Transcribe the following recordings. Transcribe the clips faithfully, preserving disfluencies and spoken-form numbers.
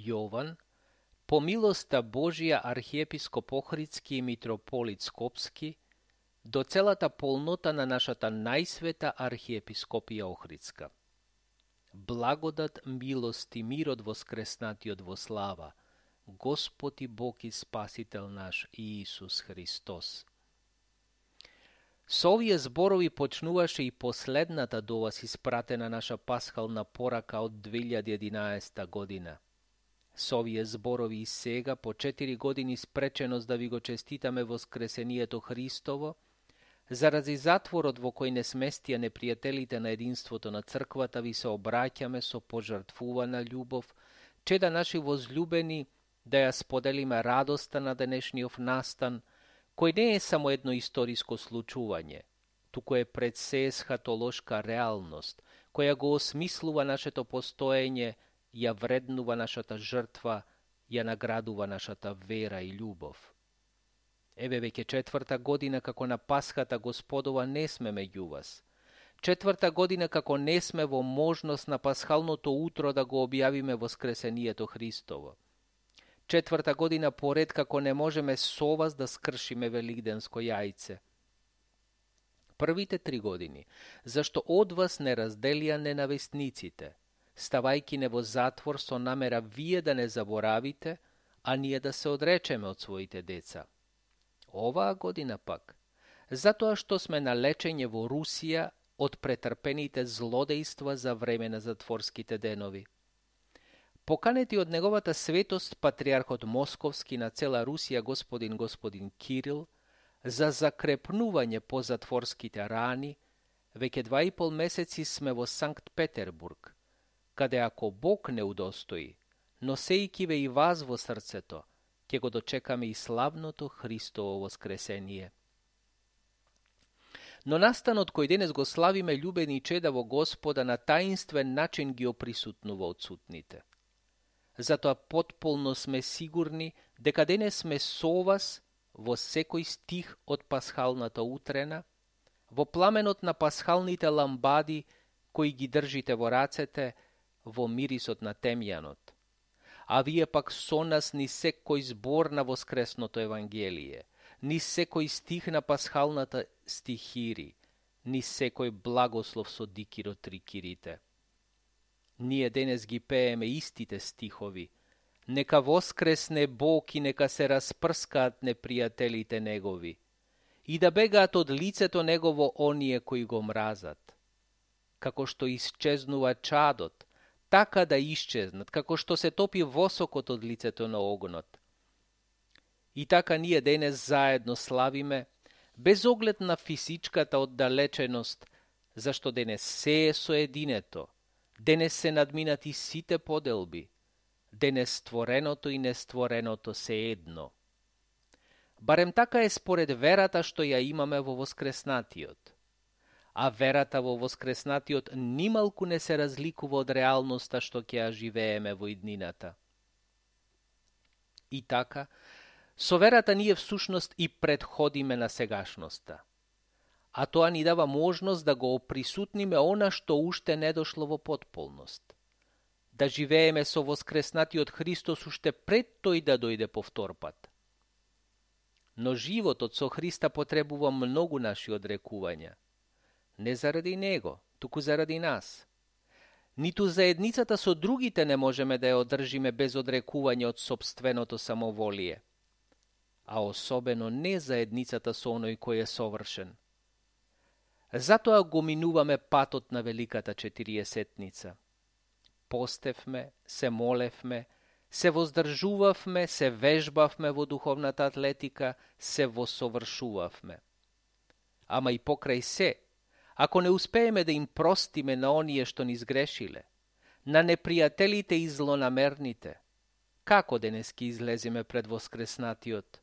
Јован, по милоста Божија архиепископ Охридски и митрополит Скопски, до целата полнота на нашата најсвета архиепископија Охридска. Благодат, милост и мир од воскреснатиот во слава, Господ и Бог и Спасител наш Иисус Христос. Со овие зборови почнуваше и последната до вас испратена наша пасхална порака од две илјади и единаесета година. Со овие зборови и сега, по четири години спреченост да ви го честитаме воскресението Христово, заради затворот во кој не сместија непријателите на единството на црквата, ви се обраќаме со пожртвувана љубов, чеда наши возлюбени, да ја споделиме радоста на денешниот настан, кој не е само едно историско случување, туку е пред се есхатолошка реалност, која го осмислува нашето постоење, ја вреднува нашата жртва, ја наградува нашата вера и љубов. Еве веќе четврта година како на Пасхата Господова не сме меѓу вас. Четврта година како не сме во можност на пасхалното утро да го објавиме воскресението Христово. Четврта година поред како не можеме со вас да скршиме великденско јајце. Првите три години, зашто од вас не разделија ненавистниците, ставајки не во затвор со намера вие да не заборавите, а ние да се одречеме од своите деца. Оваа година пак, затоа што сме на лечење во Русија од претрпените злодејства за време на затворските денови. Поканети од неговата светост патриархот Московски на цела Русија господин господин Кирил за закрепнување по затворските рани, веќе два и пол месеци сме во Санкт Петербург, каде ако Бог не удостои, носејки ве и вас во срцето, ќе го дочекаме и славното Христово воскресение. Но настанот кој денес го славиме, љубени чеда во Господа, на таинствен начин ги оприсутнува одсутните. Затоа потполно сме сигурни дека денес сме со вас во секој стих од пасхалната утрена, во пламенот на пасхалните ламбади кои ги држите во рацете, во мирисот на темјанот. А вие пак со нас ни секој збор на воскресното Евангелие, ни секој стих на пасхалната стихири, ни секој благослов со дикиро трикирите. Ние денес ги пееме истите стихови. Нека воскресне Бог и нека се распрскаат непријателите негови, и да бегаат од лицето негово оние кои го мразат. Како што исчезнува чадот, така да исчезнат, како што се топи восокот од лицето на огнот. И така ние денес заедно славиме, без оглед на физичката оддалеченост, зашто денес се е соединето, денес се надминати сите поделби, денес створеното и нествореното се едно. Барем така е според верата што ја имаме во воскреснатиот. А верата во воскреснатиот нималку не се разликува од реалноста што ќе ја живееме во иднината. И така, со верата ние всушност и предходиме на сегашноста. А тоа ни дава можност да го оприсутниме она што уште не дошло во потполност. Да живееме со воскреснатиот Христос уште пред тој да дојде повтор пат. Но животот со Христа потребува многу наши одрекувања. Не заради Него, туку заради нас. Ниту заедницата со другите не можеме да ја одржиме без одрекување од сопственото самоволие. А особено не заедницата со оној кој е совршен. Затоа го минуваме патот на Великата Четириесетница. Постевме, се молевме, се воздржувавме, се вежбавме во духовната атлетика, се восовршувавме. Ама и покрај се, ако не успееме да им простиме на оние што ни сгрешиле, на непријателите и злонамерните, како денес ки излеземе пред воскреснатиот?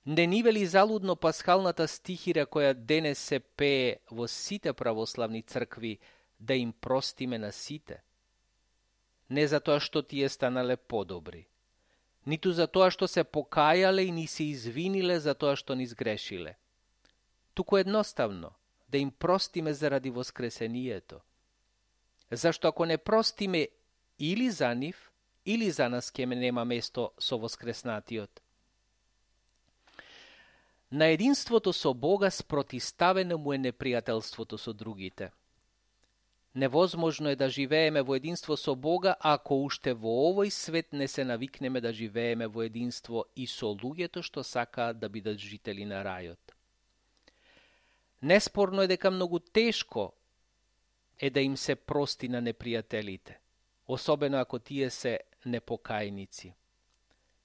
Не ни вели залудно пасхалната стихира која денес се пее во сите православни цркви, да им простиме на сите? Не затоа што тие станале подобри, ниту затоа што се покајале и ни се извиниле за тоа што ни сгрешиле, туку едноставно да им простиме заради воскресението. Зашто ако не простиме или за нив, или за нас ке нема место со воскреснатиот? На единството со Бога спротиставено му е непријателството со другите. Невозможно е да живееме во единство со Бога ако уште во овој свет не се навикнеме да живееме во единство и со луѓето што сакаат да бидат жители на рајот. Неспорно е дека многу тешко е да им се прости на непријателите, особено ако тие се непокајници.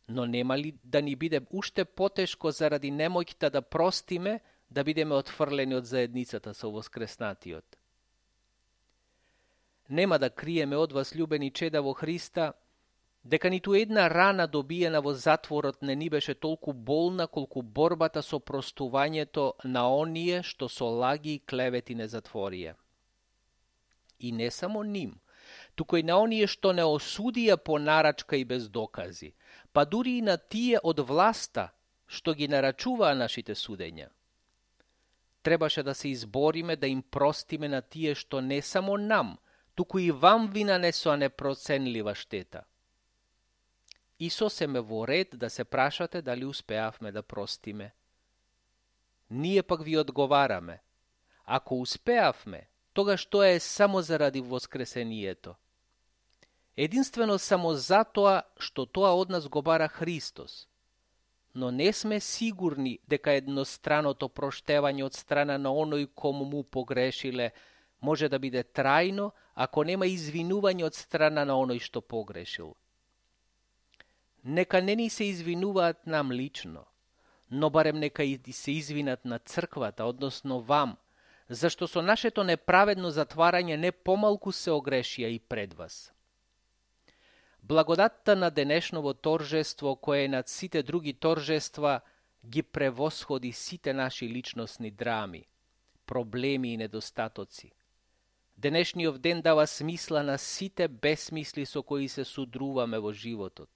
Но нема ли да ни биде уште потешко заради немоќта да простиме, да бидеме отфрлени од заедницата со воскреснатиот? Нема да криеме од вас, љубени чеда во Христа, дека ниту една рана добиена во затворот не ни беше толку болна колку борбата со простувањето на оние што со лаги и клевети не затворија. И не само ним, туку и на оние што не осудија по нарачка и без докази, па дури и на тие од власта што ги нарачуваа нашите судења. Требаше да се избориме да им простиме на тие што не само нам, туку и вам ви нанесоа непроценлива штета. И сосеме во ред да се прашате дали успеавме да простиме. Ние пак ви одговараме. Ако успеавме, тогаш тоа е само заради воскресението. Единствено само затоа што тоа од нас го бара Христос. Но не сме сигурни дека едностраното проштевање од страна на оној кому му погрешиле може да биде трајно ако нема извинување од страна на оној што погрешил. Нека не ни се извинуваат нам лично, но барем нека и се извинат на црквата, односно вам, зашто со нашето неправедно затварање не помалку се огрешија и пред вас. Благодатта на денешново торжество, кое е над сите други торжества, ги превосходи сите наши личностни драми, проблеми и недостатоци. Денешниот ден дава смисла на сите безсмисли со кои се судруваме во животот.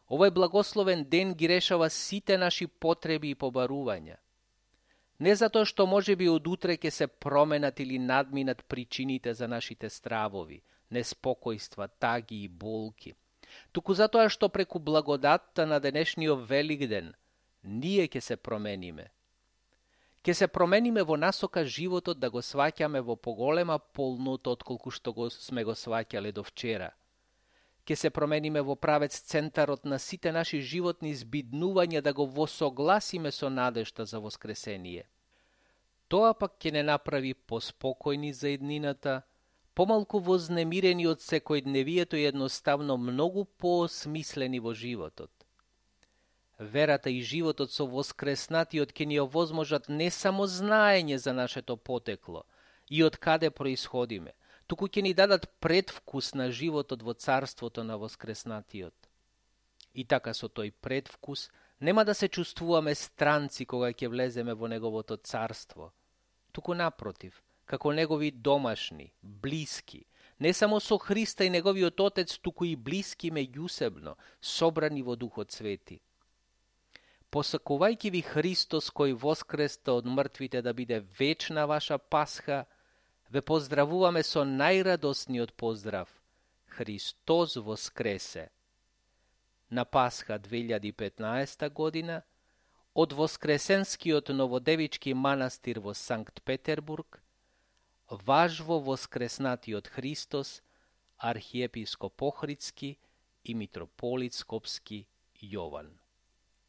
Овој благословен ден ги решава сите наши потреби и побарувања. Не затоа што може би од утре ќе се променат или надминат причините за нашите стравови, неспокојства, таги и болки, туку затоа што преку благодатта на денешниот велик ден ние ќе се промениме. Ке се промениме во насока животот да го сваќаме во поголема полнота отколку што го сме го сваќале до вчера. Ке се промениме во правец центарот на сите наши животни збиднувања да го восогласиме со надежта за воскресение. Тоа пак ќе не направи поспокојни за еднината, помалку вознемирени од секојдневието и едноставно многу поосмислени во животот. Верата и животот со воскреснатиот ќе ни овозможат не само знаење за нашето потекло и од каде происходиме, туку ќе ни дадат предвкус на животот во царството на воскреснатиот. И така со тој предвкус нема да се чувствуваме странци кога ќе влеземе во неговото царство, туку напротив, како негови домашни, блиски, не само со Христа и неговиот Отец, туку и блиски меѓусебно, собрани во Духот Свети. Посакувајќи ви Христос кој воскресте од мртвите да биде вечна ваша Пасха, ве поздравуваме со најрадосниот поздрав. Христос воскресе! На Пасха две илјади и петнаесета година, од Воскресенскиот новодевички манастир во Санкт Петербург, важво воскреснатиот Христос, архиепископ Охридски и митрополит Скопски Јован.